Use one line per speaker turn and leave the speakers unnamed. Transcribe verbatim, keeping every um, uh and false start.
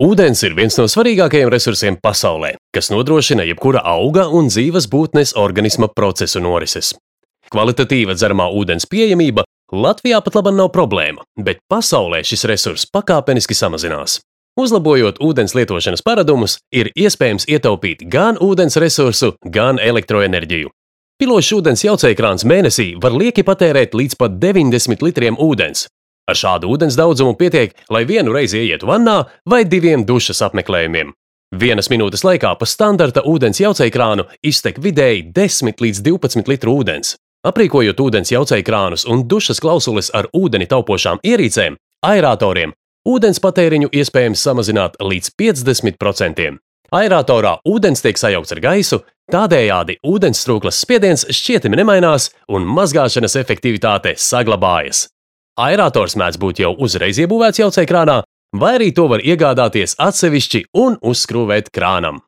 Ūdens ir viens no svarīgākajiem resursiem pasaulē, kas nodrošina jebkura auga un dzīves būtnes organisma procesu norises. Kvalitatīva dzeramā ūdens pieejamība Latvijā pat labi nav problēma, bet pasaulē šis resurss pakāpeniski samazinās. Uzlabojot ūdens lietošanas paradumus, ir iespējams ietaupīt gan ūdens resursu, gan elektroenerģiju. Pilošs ūdens jaucējkrāns mēnesī var lieki patērēt līdz pat deviņdesmit litriem ūdens. Ar šādu ūdens daudzumu pietiek, lai vienu reizi ieietu vannā vai diviem dušas apmeklējumiem. Vienas minūtes laikā pa standarta ūdens jaucējkrānu iztek vidēji desmit līdz divpadsmit litru ūdens. Aprīkojot ūdens jaucējkrānus un dušas klausules ar ūdeni taupošām ierīcēm, aeratoriem, ūdens patēriņu iespējams samazināt līdz piecdesmit procentiem. Aeratorā ūdens tiek sajaukts ar gaisu, tādējādi ūdens strūklas spiediens šķietami nemainās un mazgāšanas efektivitāte saglabājas. Aerators mēdz būt jau uzreiz iebūvēts jaucējkrānā, vai arī to var iegādāties atsevišķi un uzskrūvēt krānam.